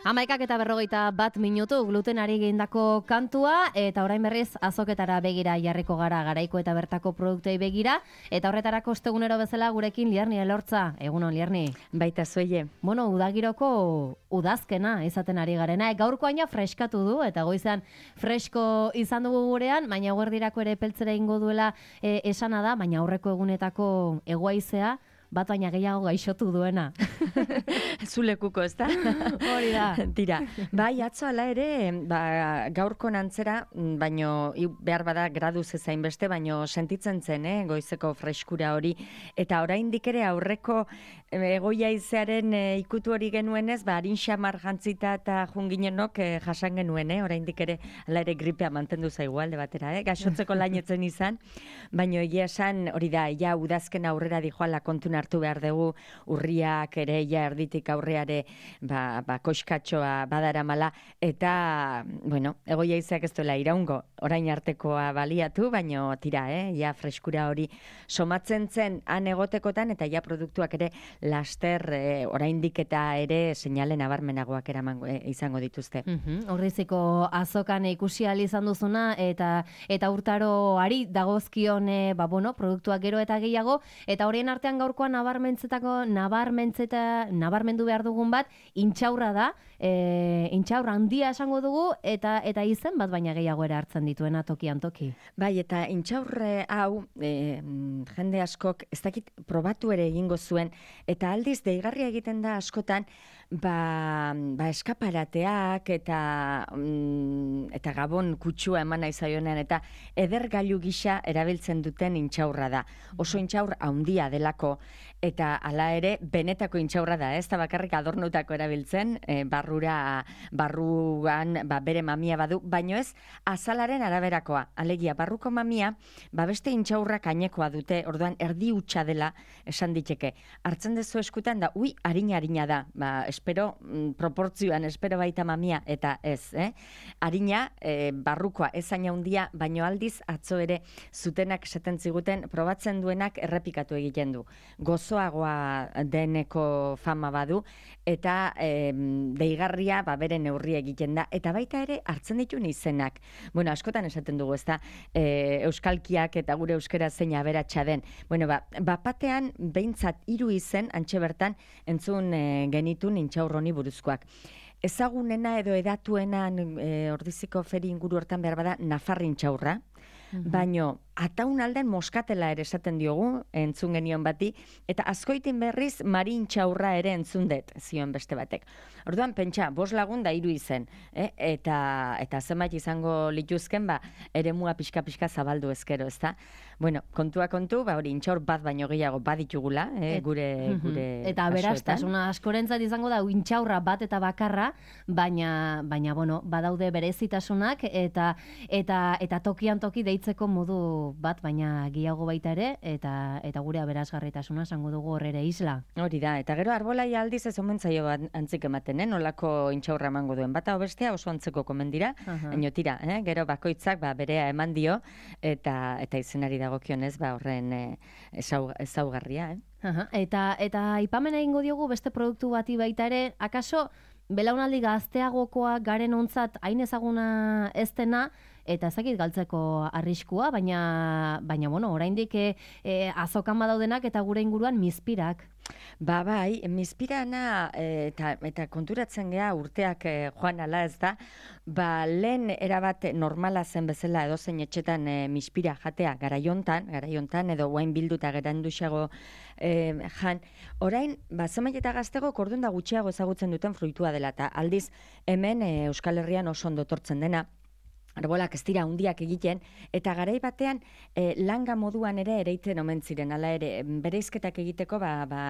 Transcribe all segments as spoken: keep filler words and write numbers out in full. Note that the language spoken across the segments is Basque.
Hamaikak eta berrogeita bat minutu glutenari egindako kantua, eta orain berriz azoketara begira jarriko gara, garaiko eta bertako produktei begira, eta horretarako ostegunero bezala gurekin Lierni Elortza. Egunon, Lierni. Baita zueie. Bueno, udagiroko udazkena izaten ari garena. E, gaurko aina freskatu du, eta goizean fresko izan dugu gurean, baina guerdirako ere peltzera ingo duela e, esana da, baina aurreko egunetako egoaizea, bat baina gehiago gaixotu duena. Zulekuko, ez da? Hori da. Tira, bai, atzo ala ere, ba, gaurko nantzera, baino behar bada gradu zezain beste, baino sentitzen zen, eh, goizeko freskura hori. Eta oraindik ere aurreko egoia izearen e, ikutu hori genuenez, ba, harin xamar jantzita eta junginenok e, jasan genuen, eh, oraindik ere, ala ere gripea mantendu zaigu alde batera, eh, gaixotzeko lainetzen izan, baino egia esan, hori da, ja udazken aurrera dijoala kontuna hartu behar dugu, urriak ere ja erditik aurreare ba, ba, koskatxoa badaramala, eta, bueno, egoia izak ez duela iraungo, orain artekoa baliatu, baino tira, eh, ja freskura hori somatzen zen han egotekotan, eta ja produktuak ere laster eh, oraindik eta ere seinale nabarmenagoak eraman eh, izango dituzte. Uh-huh. Horriziko azokan ikusi ahal izan duzuna, eta eta urtaroari dagozkion eh, ba, bueno, produktuak gero eta gehiago, eta horien artean gaurkoan nabarmentzetako, nabarmentzeta, nabarmendu behar dugun bat, intxaurra da, e, intxaurra handia esango dugu, eta eta izen bat baina gehiago ere hartzen dituena tokian toki. Bai, eta intxaurre hau, e, jende askok, ez dakit probatu ere egingo zuen, eta aldiz deigarria egiten da askotan, ba, ba eskaparateak eta mm, eta gabon kutsua eman nahi zaionean, eta edergailu gisa erabiltzen duten intxaurra da. Oso intxaur handia delako, eta hala ere benetako intxaurra da, ez da bakarrik adornutako erabiltzen, e, barrura, barruan ba, bere mamia badu, baino ez azalaren araberakoa. Alegia, barruko mamia, ba beste intxaurrak ainekoa dute, orduan erdi hutsa dela esan diteke. Hartzen dezu eskutan da, ui, harina-harina da, ba, espero, mm, proportzioan, espero baita mamia, eta ez, eh? Harina, e, barrukoa, ez aina handia, baino aldiz, atzo ere zutenak esaten ziguten, probatzen duenak errepikatu egiten du. Gozoagoa deneko fama badu, eta e, deigarria ba, bere neurri egiten da, eta baita ere hartzen ditu izenak. Bueno, askotan esaten dugu, ez da, e, euskalkiak eta gure euskera zein aberatsa den. Bueno, ba, bapatean behintzat hiru izen, antxe bertan, entzun e, genitun intxaurroni buruzkoak. Ezagunena edo edatuena e, ordiziko feri inguru hortan behar bada Nafarrin txaurra, mm-hmm. baino ataun alden moskatela ere esaten diogu, entzun genion bati, eta askoitin berriz marin txaurra ere entzun dut, zion beste batek. Orduan, pentsa, bos lagun da hiru izen, eh? eta, eta zenbait izango lituzken, ba, ere mua pixka-pixka zabaldu ezkero, ez da? Bueno, kontua kontu, ba, hori intxaur bat baino gehiago baditugula, eh? gure, mm-hmm. gure eta aberastasuna askorentzat izango da, intxaurra bat eta bakarra, baina, baina bueno, badaude berezitasunak, eta, eta, eta tokian toki deitzeko modu bat, baina gehiago baita ere, eta eta gure aberasgarritasuna esango dugu hor ere isla. Hori da, eta gero arbolai aldiz ez omen zaio bat antzik ematen, eh? Nolako intxaurra emango duen. Bata bestea oso antzeko komendira, uh-huh. baina tira, eh? Gero bakoitzak ba, berea eman dio, eta eta izenari dagokionez ba, horren eh, ezau, ezaugarria. Eh? Uh-huh. Eta, eta ipamena egingo diogu beste produktu bati baita ere, akaso belaunaldi gazteagokoa garen ontzat hain ezaguna ez dena, eta ezakit galtzeko arriskua, baina, baina bueno, oraindik e, e, azokan badaudenak eta gure inguruan mizpirak. Ba bai, mizpirana e, eta, eta konturatzen gea urteak e, joan ala ez da, ba lehen erabat normala zen bezala edozein etxetan e, mizpira jatea garaiontan, garaiontan edo guain bilduta geranduxago e, jan, orain, ba zenbait eta gaztego kordun da gutxiago ezagutzen duten fruitua dela, eta aldiz hemen e, Euskal Herrian oso ondo etortzen dena, arbolak ez dira handiak egiten, eta garai batean e, langa moduan ere ereiten omen ziren, hala ere, bereizketak egiteko ba, ba,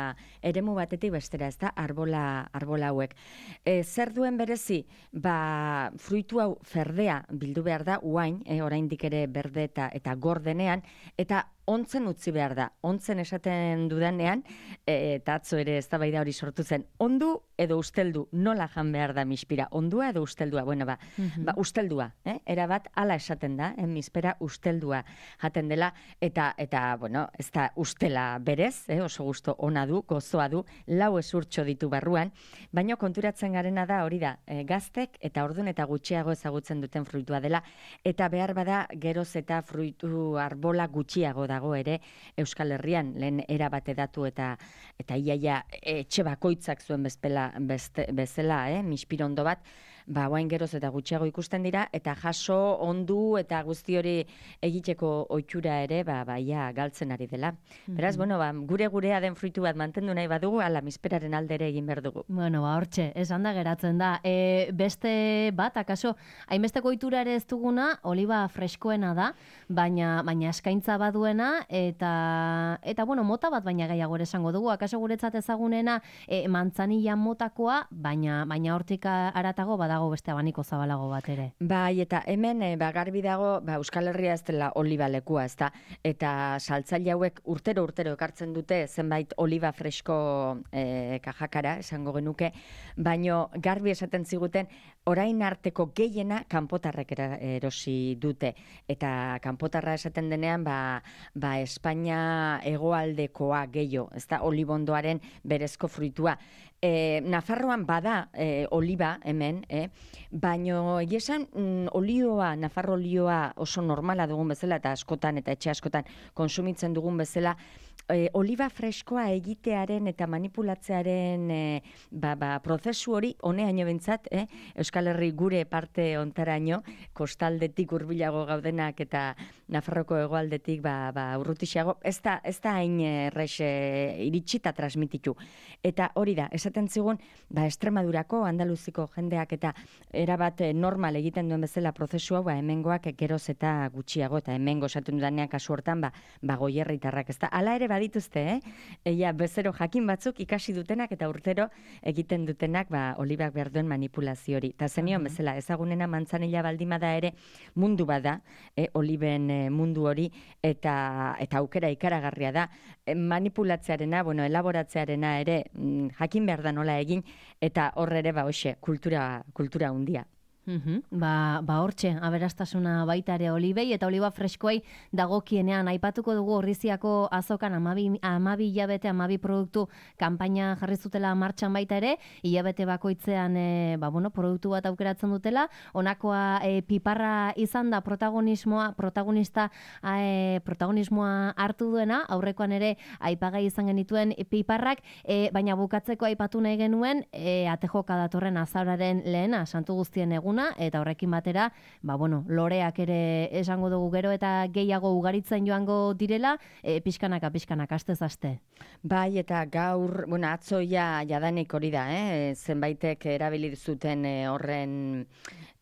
eremu batetik bestera, ez da, arbola, arbola hauek. E, zer duen berezi, ba, fruitu hau ferdea bildu behar da, uain, e, oraindik ere berde eta, eta gordenean, eta ontzen utzi behar da. Ontzen esaten dudanean, e, eta atzo ere eztabaida hori sortu zen, ondu edo usteldu, nola jan behar da mispira, ondua edo usteldua? Bueno, ba, mm-hmm. ba usteldua, eh? Erabat ala esaten da, eh? Mispera usteldua jaten dela, eta, eta bueno, ez da ustela berez, eh? Oso gusto ona du, gozoa du, lau ezurtxo ditu barruan, baina konturatzen garena da hori da, e, gaztek eta ordun eta gutxiago ezagutzen duten fruitua dela, eta behar bada geroz eta fruitu arbola gutxiago dago ere Euskal Herrian, lehen erabate datu eta eta iaia etxe bakoitzak zuen bezpela, beste, bezala, eh? Mispirondo bat, ba, guain geroz eta gutxiago ikusten dira, eta jaso, ondu, eta guzti hori egiteko ohitura ere, ba, ba, ia galtzen ari dela. Beraz, mm-hmm. bueno, ba, gure-gurea den fruitu bat mantendu nahi badugu, ala, misperaren aldere egin behar dugu. Bueno, ba, hortxe, esan da geratzen da. E, beste bat, akaso, hainbesteko ohitura ere ez duguna, oliba freskoena da, baina, baina eskaintza baduena, eta, eta, bueno, mota bat baina gehiago ere esango dugu, akaso guretzat ezagunena e, mantzanilla motakoa, baina, baina hortik aratago badago beste abaniko zabalago bat ere. Bai, eta hemen e, ba, garbi dago, ba, Euskal Herria ez dela oliba lekua, ez da, eta saltzaile hauek urtero urtero ekartzen dute zenbait oliba fresko e, kajakara, esango genuke, baino garbi esaten ziguten, orain arteko gehiena kanpotarrek erosi dute, eta kanpotarra esaten denean, ba, ba Espainia hegoaldekoa gehiago, ez da, olibondoaren berezko fruitua. E, Nafarroan bada e, oliba hemen, eh? Baino egiesan mm, olioa, Nafarro olioa oso normala dugun bezala, eta askotan eta etxe askotan konsumitzen dugun bezala, e, oliba freskoa egitearen eta manipulatzearen e, ba, ba, prozesu hori honeaino bentsat, eh? Euskal Herri gure parte ontaraino, kostaldetik hurbilago gaudenak eta Nafarroko hegoaldetik ba, ba, urrutixago, ez da, ez da hain errex e, iritsita transmititu. Eta hori da, esaten zigun, ba, Extremadurako, Andaluziko jendeak eta erabat normal egiten duen bezala prozesu hau, ba, hemengoak geroz eta gutxiago, eta hemengo esatu dudanean kasu hortan, ba, ba goierritarrak, ez da. Hala ere badituzte, eh? Eia, bezero jakin batzuk ikasi dutenak eta urtero egiten dutenak, ba, olibak behar duen manipulazio hori. Eta zenion bezala, ezagunena mantzanilla baldimada ere mundu bada, eh, oliben eh, mundu hori, eta, eta aukera ikaragarria da, eh, manipulatzearena, bueno, elaboratzearena ere, mm, jakin behar da nola egin, eta horre ere, ba, hoxe, kultura, kultura hundia. Uhum. Ba, ba hortxe, aberastasuna baita ere olibei eta oliba freskoei dagokienean aipatuko dugu Orriziako azokan amabi, amabi hilabete, amabi produktu kanpaina jarri zutela martxan baita ere, hilabete bakoitzean e, ba, bueno, produktu bat aukeratzen dutela, honakoa e, piparra izan da protagonismoa, protagonista e, protagonismoa hartu duena, aurrekoan ere aipagai izan genituen piparrak, e, baina bukatzeko aipatu nahi genuen e, atejoka datorren azauraren lehena, santu guztien egun, eta horrekin batera, ba, bueno, loreak ere esango dugu gero eta gehiago ugaritzen joango direla, e, pixkanaka, pixkanaka, astez aste. Bai, eta gaur, bueno, atzoia jadanik hori da, eh? Zenbaitek erabili zuten e, horren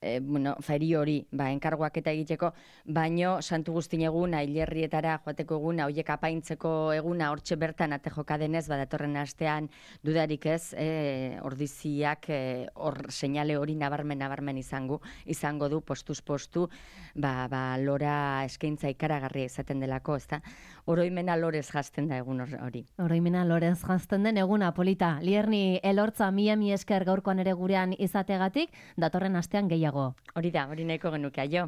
e, bueno, feri hori, ba, enkarguak eta egiteko, baino santu guztin eguna, hilerrietara joateko eguna, hoiek apaintzeko eguna, hortxe bertan atejoka denez, badatorren astean dudarik ez, e, ordiziak hor e, seinale hori nabarmen, nabarmen izango, izango du postuz postu, ba, ba, lora eskaintza ikaragarria izaten delako, ezta? Oroimena lorez jazten da egun hori. Oroimena lorez jazten den eguna, polita. Lierni elortza mila mi esker gaurkoan ere gurean izategatik, datorren astean gehiago. Hori da, hori nahiko genuke, aio.